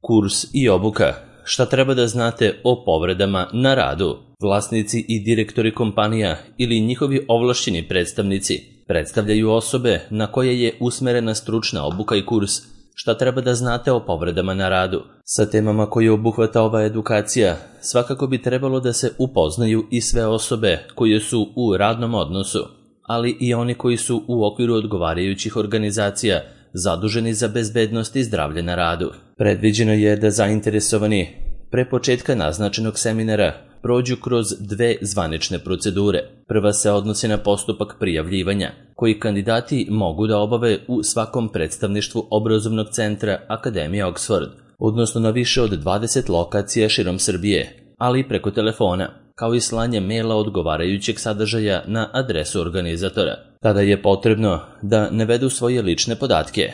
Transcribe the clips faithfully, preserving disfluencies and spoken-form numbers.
Kurs i obuka. Šta treba da znate o povredama na radu? Vlasnici i direktori kompanija ili njihovi ovlašćeni predstavnici predstavljaju osobe na koje je usmerena stručna obuka i kurs. Šta treba da znate o povredama na radu? Sa temama koje obuhvata ova edukacija, svakako bi trebalo da se upoznaju i sve osobe koje su u radnom odnosu, ali i oni koji su u okviru odgovarajućih organizacija zaduženi za bezbednost i zdravlje na radu. Predviđeno je da zainteresovani pre početka naznačenog seminara prođu kroz dve zvanične procedure. Prva se odnosi na postupak prijavljivanja, koji kandidati mogu da obave u svakom predstavništvu obrazovnog centra Akademije Oxford, odnosno na više od dvadeset lokacija širom Srbije, ali i preko telefona, kao i slanje maila odgovarajućeg sadržaja na adresu organizatora. Tada je potrebno da navedu svoje lične podatke,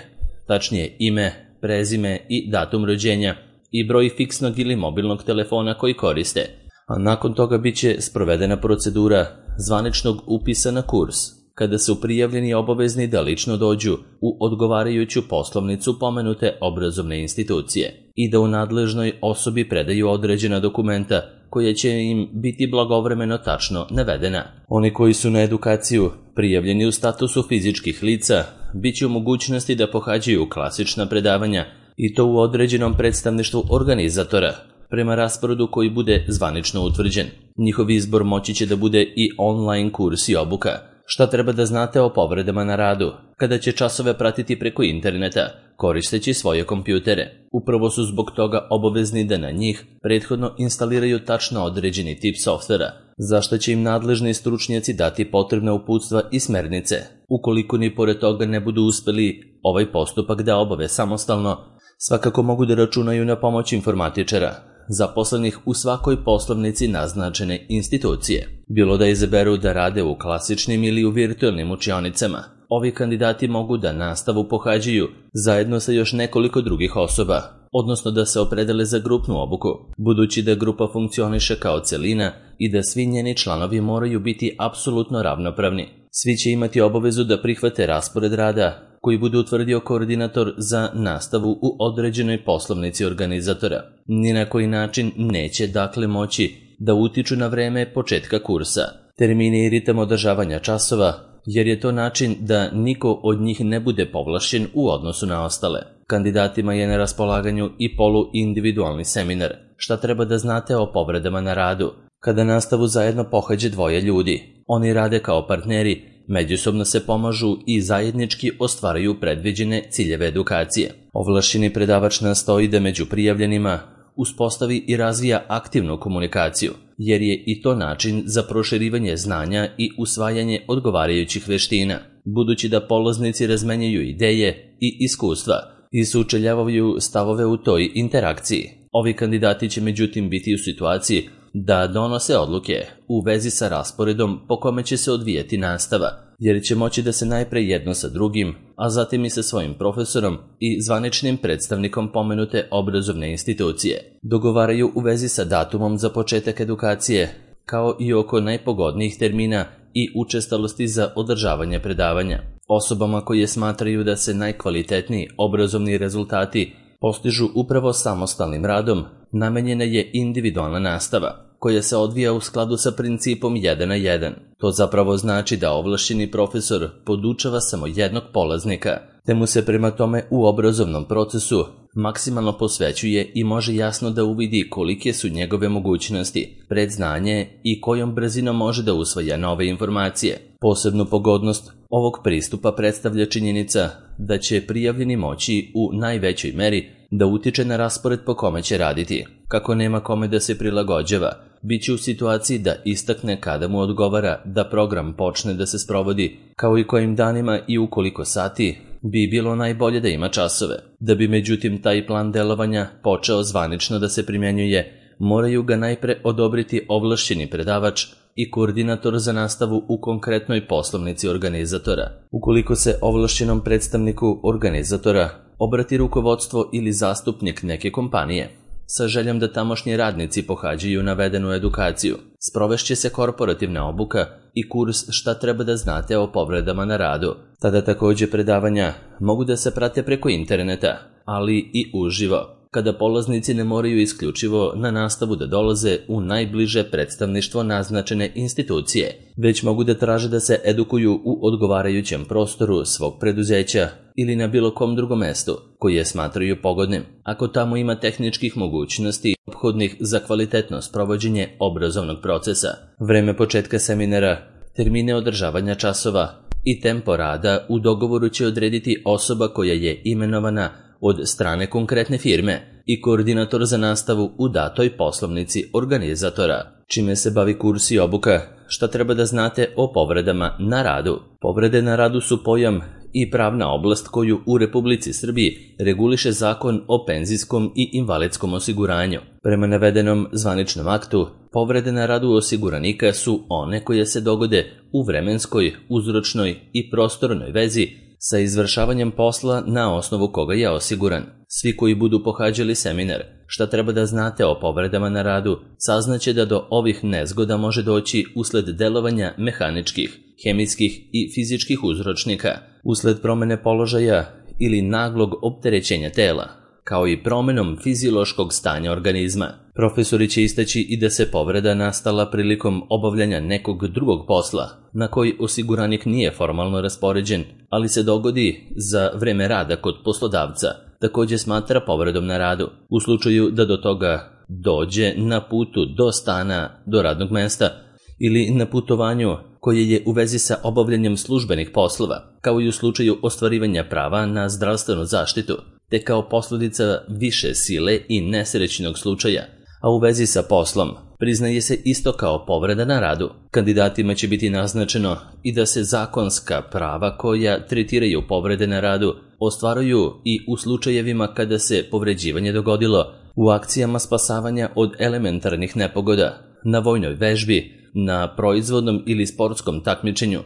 tačnije ime, prezime i datum rođenja i broj fiksnog ili mobilnog telefona koji koriste, a nakon toga bit će sprovedena procedura zvaničnog upisa na kurs, kada su prijavljeni obavezni da lično dođu u odgovarajuću poslovnicu pomenute obrazovne institucije i da u nadležnoj osobi predaju određena dokumenta koja će im biti blagovremeno tačno navedena. Oni koji su na edukaciju prijavljeni u statusu fizičkih lica bit će u mogućnosti da pohađaju klasična predavanja i to u određenom predstavništvu organizatora, prema rasporedu koji bude zvanično utvrđen. Njihov izbor moći će da bude i online kurs i obuka. Šta treba da znate o povredama na radu? Kada će časove pratiti preko interneta, koristeći svoje kompjutere. Upravo su zbog toga obavezni da na njih prethodno instaliraju tačno određeni tip softvera, za što će im nadležni stručnjaci dati potrebna uputstva i smernice. Ukoliko ni pored toga ne budu uspeli ovaj postupak da obave samostalno, svakako mogu da računaju na pomoć informatičara, zaposlenih u svakoj poslovnici naznačene institucije. Bilo da izaberu da rade u klasičnim ili u virtualnim učionicama, ovi kandidati mogu da nastavu pohađaju zajedno sa još nekoliko drugih osoba, odnosno da se opredele za grupnu obuku, budući da grupa funkcioniše kao celina i da svi njeni članovi moraju biti apsolutno ravnopravni. Svi će imati obavezu da prihvate raspored rada koji bude utvrdio koordinator za nastavu u određenoj poslovnici organizatora. Ni na koji način neće dakle moći da utiču na vreme početka kursa, termine i ritam održavanja časova, jer je to način da niko od njih ne bude povlašćen u odnosu na ostale. Kandidatima je na raspolaganju i poluindividualni seminar. Šta treba da znate o povredama na radu? Kada nastavu zajedno pohađe dvoje ljudi, oni rade kao partneri, međusobno se pomažu i zajednički ostvaraju predviđene ciljeve edukacije. Ovlašćeni predavač nastoji da među prijavljenima uspostavi i razvija aktivnu komunikaciju, jer je i to način za proširivanje znanja i usvajanje odgovarajućih veština, budući da polaznici razmenjuju ideje i iskustva i sučeljavaju stavove u toj interakciji. Ovi kandidati će međutim biti u situaciji da donose odluke u vezi sa rasporedom po kome će se odvijati nastava, jer će moći da se najpre jedno sa drugim, a zatim i sa svojim profesorom i zvaničnim predstavnikom pomenute obrazovne institucije dogovaraju u vezi sa datumom za početak edukacije, kao i oko najpogodnijih termina i učestalosti za održavanje predavanja. Osobama koje smatraju da se najkvalitetniji obrazovni rezultati postižu upravo samostalnim radom, namenjena je individualna nastava, koja se odvija u skladu sa principom jedan na jedan. To zapravo znači da ovlašćeni profesor podučava samo jednog polaznika, te mu se prema tome u obrazovnom procesu maksimalno posvećuje i može jasno da uvidi kolike su njegove mogućnosti, predznanje i kojom brzinom može da usvaja nove informacije. Posebnu pogodnost ovog pristupa predstavlja činjenica da će prijavljeni moći u najvećoj meri da utiče na raspored po kome će raditi. Kako nema kome da se prilagođava, bit će u situaciji da istakne kada mu odgovara da program počne da se sprovodi, kao i kojim danima i u koliko sati bi bilo najbolje da ima časove. Da bi međutim taj plan delovanja počeo zvanično da se primjenjuje, moraju ga najpre odobriti ovlašćeni predavač i koordinator za nastavu u konkretnoj poslovnici organizatora. Ukoliko se ovlašćenom predstavniku organizatora obrati rukovodstvo ili zastupnik neke kompanije sa željom da tamošnji radnici pohađaju navedenu edukaciju, sprovešće se korporativna obuka i kurs šta treba da znate o povredama na radu. Tada takođe predavanja mogu da se prate preko interneta, ali i uživo. kada polaznici ne moraju isključivo na nastavu da dolaze u najbliže predstavništvo naznačene institucije, već mogu da traže da se edukuju u odgovarajućem prostoru svog preduzeća ili na bilo kom drugom mestu koje smatraju pogodnim, ako tamo ima tehničkih mogućnosti ophodnih za kvalitetno sprovođenje obrazovnog procesa. Vreme početka seminara, termine održavanja časova i tempo rada u dogovoru će odrediti osoba koja je imenovana od strane konkretne firme i koordinator za nastavu u datoj poslovnici organizatora. Čime se bavi kurs i obuka? Šta treba da znate o povredama na radu? Povrede na radu su pojam i pravna oblast koju u Republici Srbiji reguliše Zakon o penzijskom i invalidskom osiguranju. Prema navedenom zvaničnom aktu, povrede na radu osiguranika su one koje se dogode u vremenskoj, uzročnoj i prostornoj vezi sa izvršavanjem posla na osnovu koga je osiguran. Svi koji budu pohađali seminar Šta treba da znate o povredama na radu, saznaće da do ovih nezgoda može doći usled delovanja mehaničkih, hemijskih i fizičkih uzročnika, usled promene položaja ili naglog opterećenja tela, kao i promenom fiziološkog stanja organizma. Profesori će istaći i da se povreda nastala prilikom obavljanja nekog drugog posla, na koji osiguranik nije formalno raspoređen, ali se dogodi za vreme rada kod poslodavca, takođe smatra povredom na radu. U slučaju da do toga dođe na putu do stana, do radnog mesta ili na putovanju koje je u vezi sa obavljanjem službenih poslova, kao i u slučaju ostvarivanja prava na zdravstvenu zaštitu, te kao posledica više sile i nesrećnog slučaja, a u vezi sa poslom priznaje se isto kao povreda na radu. Kandidatima će biti naznačeno i da se zakonska prava koja tretiraju povrede na radu ostvaruju i u slučajevima kada se povređivanje dogodilo u akcijama spasavanja od elementarnih nepogoda, na vojnoj vežbi, na proizvodnom ili sportskom takmičenju,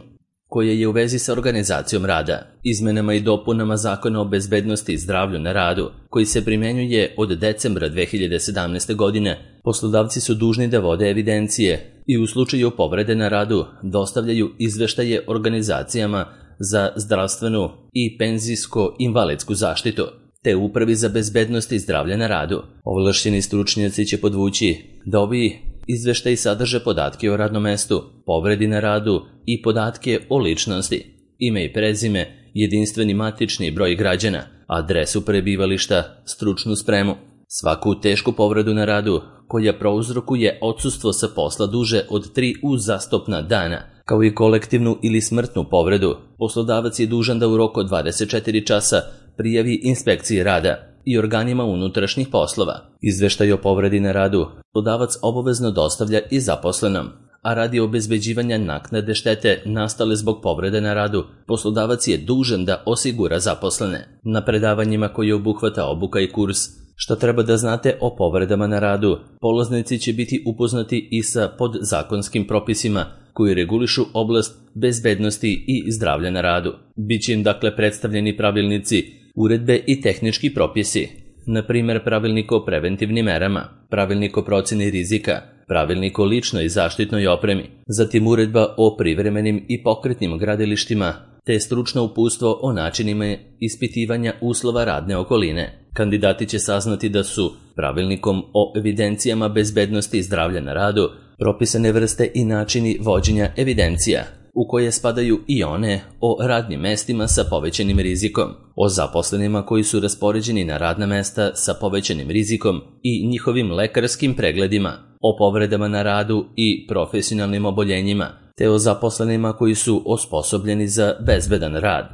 koje je u vezi sa organizacijom rada. Izmenama i dopunama Zakona o bezbednosti i zdravlju na radu, koji se primjenjuje od decembra dve hiljade sedamnaeste. godine, poslodavci su dužni da vode evidencije i u slučaju povrede na radu dostavljaju izveštaje organizacijama za zdravstvenu i penzijsko-invalidsku zaštitu, te Upravi za bezbednost i zdravlje na radu. Ovlašćeni stručnjaci će podvući da ovi izveštaji sadrže podatke o radnom mestu, povredi na radu i podatke o ličnosti, ime i prezime, jedinstveni matični broj građana, adresu prebivališta, stručnu spremu. Svaku tešku povredu na radu koja prouzrokuje odsustvo sa posla duže od tri uzastopna dana, kao i kolektivnu ili smrtnu povredu, poslodavac je dužan da u roku od dvadeset četiri časa prijavi inspekciji rada i organima unutrašnjih poslova. Izveštaj o povredi na radu poslodavac obavezno dostavlja i zaposlenom, a radi obezbeđivanja naknade štete nastale zbog povrede na radu, poslodavac je dužan da osigura zaposlene. Na predavanjima koje obuhvata obuka i kurs Šta treba da znate o povredama na radu, polaznici će biti upoznati i sa podzakonskim propisima koji regulišu oblast bezbednosti i zdravlja na radu. Biće im dakle predstavljeni pravilnici, uredbe i tehnički propisi, na primjer pravilnik o preventivnim merama, pravilnik o proceni rizika, pravilnik o ličnoj zaštitnoj opremi, zatim uredba o privremenim i pokretnim gradilištima, te stručno uputstvo o načinima ispitivanja uslova radne okoline. Kandidati će saznati da su pravilnikom o evidencijama bezbednosti i zdravlja na radu propisane vrste i načini vođenja evidencija, u koje spadaju i one o radnim mestima sa povećanim rizikom, o zaposlenima koji su raspoređeni na radna mesta sa povećanim rizikom i njihovim lekarskim pregledima, o povredama na radu i profesionalnim oboljenjima, te o zaposlenima koji su osposobljeni za bezbedan rad.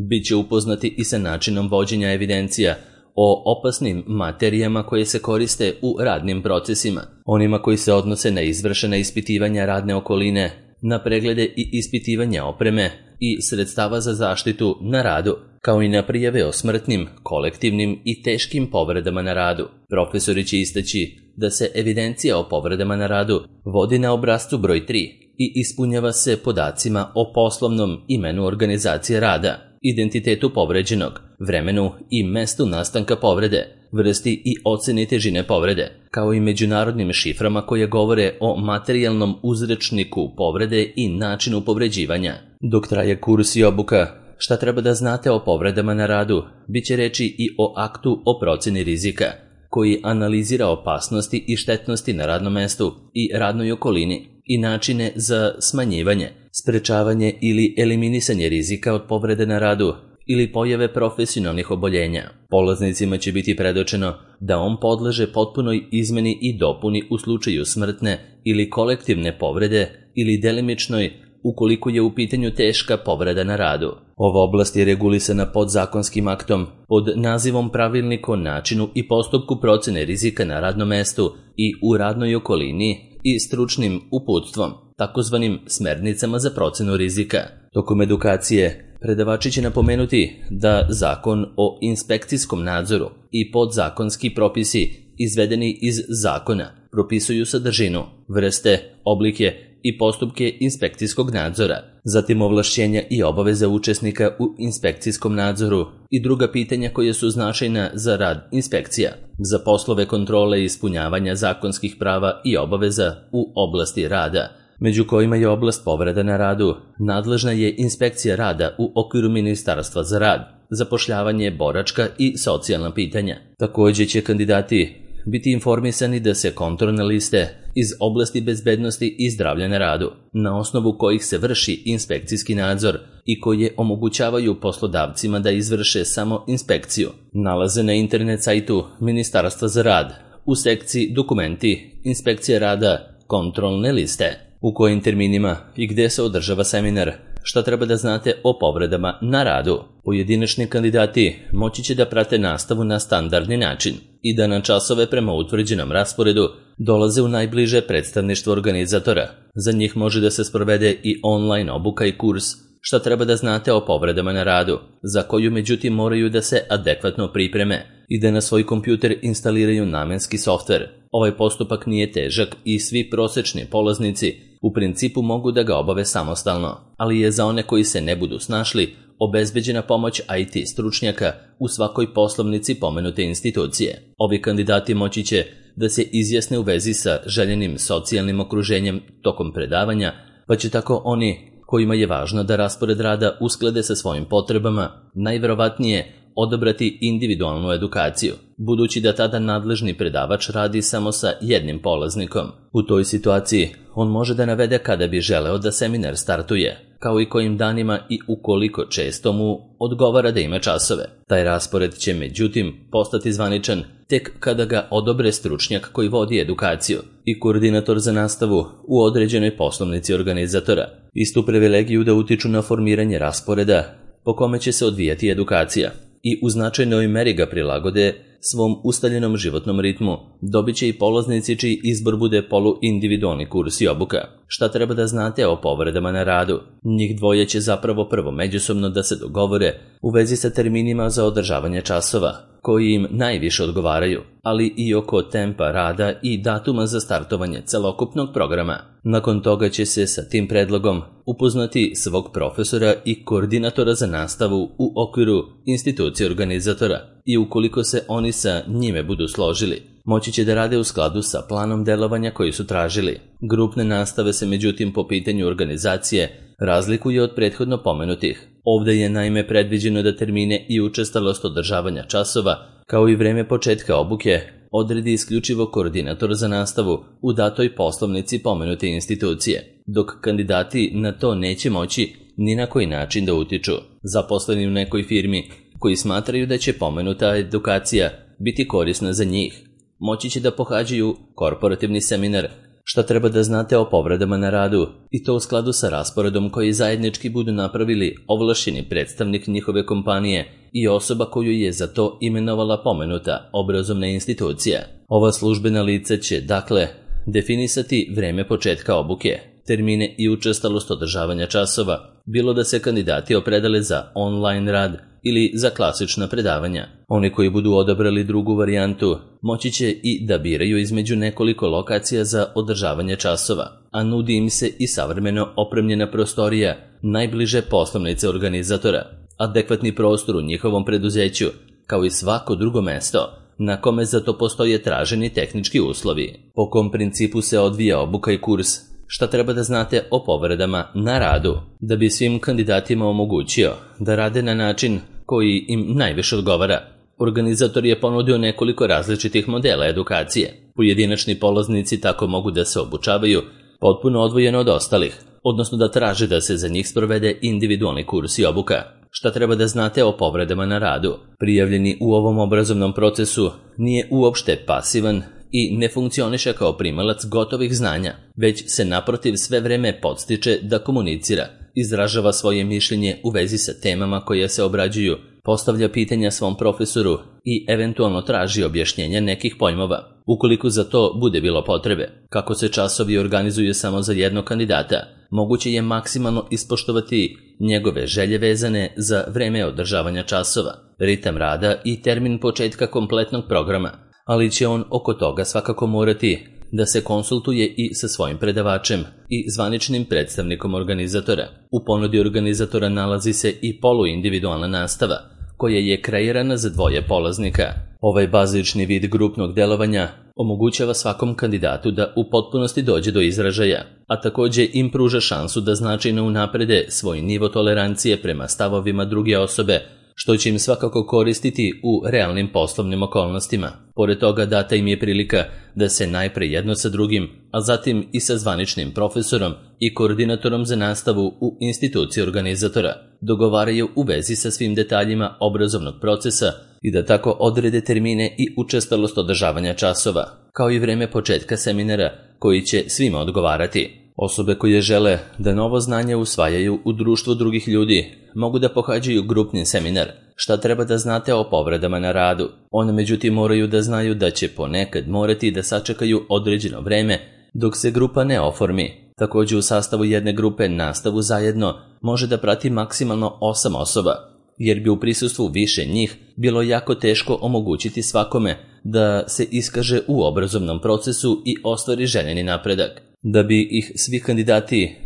Biće upoznati i sa načinom vođenja evidencija o opasnim materijama koje se koriste u radnim procesima, onima koji se odnose na izvršena ispitivanja radne okoline, na preglede i ispitivanja opreme i sredstava za zaštitu na radu, kao i na prijave o smrtnim, kolektivnim i teškim povredama na radu. Profesori će istaći da se evidencija o povredama na radu vodi na obrascu broj tri i ispunjava se podacima o poslovnom imenu organizacije rada, identitetu povređenog, vremenu i mestu nastanka povrede, vrsti i oceni težine povrede, kao i međunarodnim šiframa koje govore o materijalnom uzrečniku povrede i načinu povređivanja. Dok traje kurs i obuka, šta treba da znate o povredama na radu, bit će reči i o aktu o procjeni rizika, koji analizira opasnosti i štetnosti na radnom mestu i radnoj okolini i načine za smanjivanje, sprečavanje ili eliminisanje rizika od povrede na radu ili pojave profesionalnih oboljenja. Polaznicima će biti predočeno da on podleže potpunoj izmeni i dopuni u slučaju smrtne ili kolektivne povrede ili delimičnoj ukoliko je u pitanju teška povreda na radu. Ova oblast je regulisana podzakonskim aktom pod nazivom Pravilnik o načinu i postupku procjene rizika na radnom mestu i u radnoj okolini i stručnim uputstvom, takozvanim smernicama za procjenu rizika. Tokom edukacije predavači će napomenuti da Zakon o inspekcijskom nadzoru i podzakonski propisi izvedeni iz zakona propisuju sadržinu, vrste, oblike i postupke inspekcijskog nadzora, zatim ovlašćenja i obaveze učesnika u inspekcijskom nadzoru i druga pitanja koja su značajna za rad inspekcija, za poslove kontrole i ispunjavanja zakonskih prava i obaveza u oblasti rada, među kojima je oblast povreda na radu. Nadležna je inspekcija rada u okviru Ministarstva za rad, zapošljavanje, boračka i socijalna pitanja. Također će kandidati biti informisani da se kontrolne liste iz oblasti bezbednosti i zdravlja na radu, na osnovu kojih se vrši inspekcijski nadzor i koje omogućavaju poslodavcima da izvrše samo inspekciju, nalaze na internet sajtu Ministarstva za rad u sekciji Dokumenti, Inspekcija rada, Kontrolne liste. U kojim terminima i gde se održava seminar, šta treba da znate o povredama na radu. Pojedinačni kandidati moći će da prate nastavu na standardni način i da na časove prema utvrđenom rasporedu dolaze u najbliže predstavništvo organizatora. Za njih može da se sprovede i online obuka i kurs šta treba da znate o povredama na radu, za koju međutim moraju da se adekvatno pripreme i da na svoj kompjuter instaliraju namenski softver. Ovaj postupak nije težak i svi prosečni polaznici u principu mogu da ga obave samostalno, ali je za one koji se ne budu snašli obezbeđena pomoć I T stručnjaka u svakoj poslovnici pomenute institucije. Ovi kandidati moći će da se izjasne u vezi sa željenim socijalnim okruženjem tokom predavanja, pa će tako oni kojima je važno da raspored rada usklade sa svojim potrebama najverovatnije odabrati individualnu edukaciju, budući da tada nadležni predavač radi samo sa jednim polaznikom. U toj situaciji on može da navede kada bi želeo da seminar startuje, kao i kojim danima i ukoliko često mu odgovara da ima časove. Taj raspored će međutim postati zvaničan tek kada ga odobre stručnjak koji vodi edukaciju i koordinator za nastavu u određenoj poslovnici organizatora. Istu privilegiju da utiču na formiranje rasporeda po kome će se odvijati edukacija i u značajnoj meri ga prilagode svom ustaljenom životnom ritmu, dobit će i polaznici čiji izbor bude poluindividualni kurs i obuka. Šta treba da znate o povredama na radu? Njih dvoje će zapravo prvo međusobno da se dogovore u vezi sa terminima za održavanje časova, koji im najviše odgovaraju, ali i oko tempa rada i datuma za startovanje celokupnog programa. Nakon toga će se sa tim predlogom upoznati svog profesora i koordinatora za nastavu u okviru institucije organizatora i ukoliko se oni sa njime budu složili, moći će da rade u skladu sa planom delovanja koji su tražili. Grupne nastave se međutim po pitanju organizacije razlikuje od prethodno pomenutih. Ovdje je naime predviđeno da termine i učestalost održavanja časova, kao i vreme početka obuke, odredi isključivo koordinator za nastavu u datoj poslovnici pomenute institucije, dok kandidati na to neće moći ni na koji način da utiču. Zaposleni u nekoj firmi koji smatraju da će pomenuta edukacija biti korisna za njih, moći će da pohađaju korporativni seminar šta treba da znate o povredama na radu i to u skladu sa rasporedom koji zajednički budu napravili ovlašćeni predstavnik njihove kompanije i osoba koju je za to imenovala pomenuta obrazovna institucija. Ova službena lica će, dakle, definisati vreme početka obuke, termine i učestalost održavanja časova, bilo da se kandidati opredele za online rad ili za klasična predavanja. Oni koji budu odabrali drugu varijantu moći će i da biraju između nekoliko lokacija za održavanje časova, a nudi im se i savremeno opremljena prostorija najbliže poslovnice organizatora, adekvatni prostor u njihovom preduzeću, kao i svako drugo mesto na kome za to postoje traženi tehnički uslovi. Po kom principu se odvija obuka i kurs? šta treba da znate o povredama na radu. Da bi svim kandidatima omogućio da rade na način koji im najviše odgovara, organizator je ponudio nekoliko različitih modela edukacije. Pojedinačni polaznici tako mogu da se obučavaju potpuno odvojeno od ostalih, odnosno da traže da se za njih sprovede individualni kurs i obuka. Šta treba da znate o povredama na radu? Prijavljeni u ovom obrazovnom procesu nije uopšte pasivan i ne funkcioniše kao primalac gotovih znanja, već se naprotiv sve vreme podstiče da komunicira, izražava svoje mišljenje u vezi sa temama koje se obrađuju, postavlja pitanja svom profesoru i eventualno traži objašnjenja nekih pojmova, ukoliko za to bude bilo potrebe. Kako se časovi organizuju samo za jednog kandidata, moguće je maksimalno ispoštovati njegove želje vezane za vreme održavanja časova, ritam rada i termin početka kompletnog programa, ali će on oko toga svakako morati da se konsultuje i sa svojim predavačem i zvaničnim predstavnikom organizatora. U ponudi organizatora nalazi se i poluindividualna nastava, koja je kreirana za dvoje polaznika. Ovaj bazični vid grupnog delovanja omogućava svakom kandidatu da u potpunosti dođe do izražaja, a takođe im pruža šansu da značajno unaprede svoj nivo tolerancije prema stavovima druge osobe, što će im svakako koristiti u realnim poslovnim okolnostima. Pored toga data im je prilika da se najpre jedno sa drugim, a zatim i sa zvaničnim profesorom i koordinatorom za nastavu u instituciji organizatora dogovaraju u vezi sa svim detaljima obrazovnog procesa i da tako odrede termine i učestalost održavanja časova, kao i vreme početka seminara koji će svima odgovarati. Osobe koje žele da novo znanje usvajaju u društvu drugih ljudi mogu da pohađaju grupni seminar Šta treba da znate o povredama na radu. One međutim moraju da znaju da će ponekad morati da sačekaju određeno vreme dok se grupa ne oformi. Takođe u sastavu jedne grupe nastavu zajedno može da prati maksimalno osam osoba, jer bi u prisustvu više njih bilo jako teško omogućiti svakome da se iskaže u obrazovnom procesu i ostvari željeni napredak. Da bi ih svi kandidati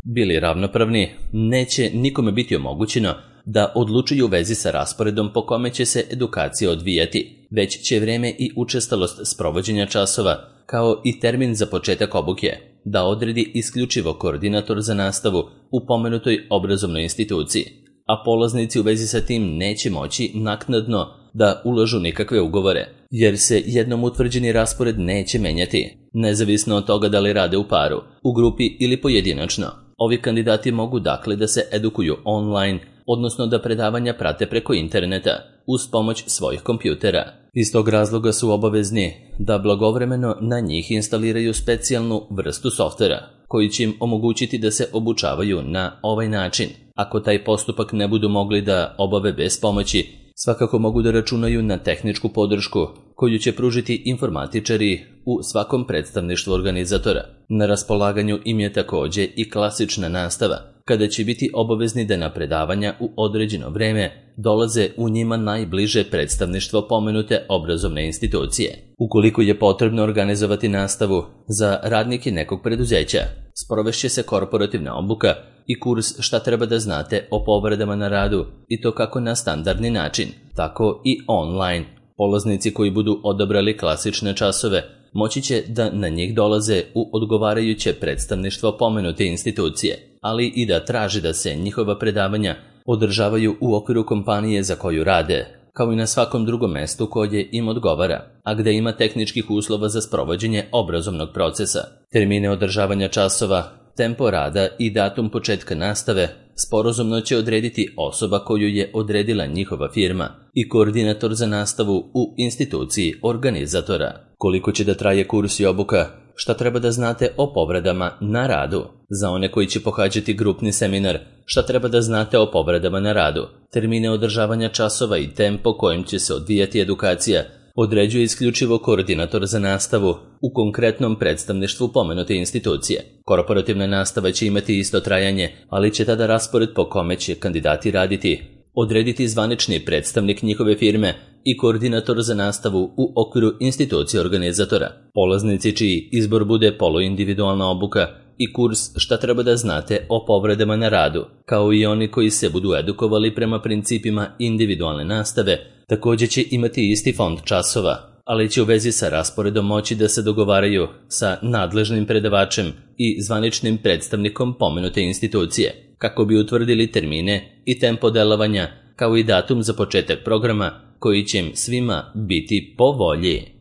bili ravnopravni, neće nikome biti omogućeno da odlučuju u vezi sa rasporedom po kome će se edukacija odvijati, već će vreme i učestalost sprovođenja časova, kao i termin za početak obuke, da odredi isključivo koordinator za nastavu u pomenutoj obrazovnoj instituciji, a polaznici u vezi sa tim neće moći naknadno da ulažu nikakve ugovore, jer se jednom utvrđeni raspored neće menjati, nezavisno od toga da li rade u paru, u grupi ili pojedinačno. Ovi kandidati mogu dakle da se edukuju online, odnosno da predavanja prate preko interneta uz pomoć svojih kompjutera. Iz tog razloga su obavezni da blagovremeno na njih instaliraju specijalnu vrstu softvera koji će im omogućiti da se obučavaju na ovaj način. Ako taj postupak ne budu mogli da obave bez pomoći, svakako mogu da računaju na tehničku podršku koju će pružiti informatičari u svakom predstavništvu organizatora. Na raspolaganju im je takođe i klasična nastava, kada će biti obavezni da na predavanja u određeno vreme dolaze u njima najbliže predstavništvo pomenute obrazovne institucije. Ukoliko je potrebno organizovati nastavu za radnike nekog preduzeća, sprovešće se korporativna obuka i kurs Šta treba da znate o povredama na radu, i to kako na standardni način, tako i online. Polaznici koji budu odabrali klasične časove moći će da na njih dolaze u odgovarajuće predstavništvo pomenute institucije, ali i da traže da se njihova predavanja održavaju u okviru kompanije za koju rade, kao i na svakom drugom mestu koje im odgovara, a gde ima tehničkih uslova za sprovođenje obrazovnog procesa. Termine održavanja časova, tempo rada i datum početka nastave sporazumno će odrediti osoba koju je odredila njihova firma i koordinator za nastavu u instituciji organizatora. Koliko će da traje kurs i obuka? Šta treba da znate o povredama na radu? Za one koji će pohađati grupni seminar, šta treba da znate o povredama na radu? Termine održavanja časova i tempo kojim će se odvijati edukacija određuje isključivo koordinator za nastavu u konkretnom predstavništvu pomenute institucije. Korporativna nastava će imati isto trajanje, ali će tada raspored po kome će kandidati raditi odrediti zvanični predstavnik njihove firme i koordinator za nastavu u okviru institucije organizatora. Polaznici čiji izbor bude poluindividualna obuka i kurs Šta treba da znate o povredama na radu, kao i oni koji se budu edukovali prema principima individualne nastave, takođe će imati isti fond časova, ali će u vezi sa rasporedom moći da se dogovaraju sa nadležnim predavačem i zvaničnim predstavnikom pomenute institucije, kako bi utvrdili termine i tempo delovanja, kao i datum za početak programa koji će im svima biti po volji.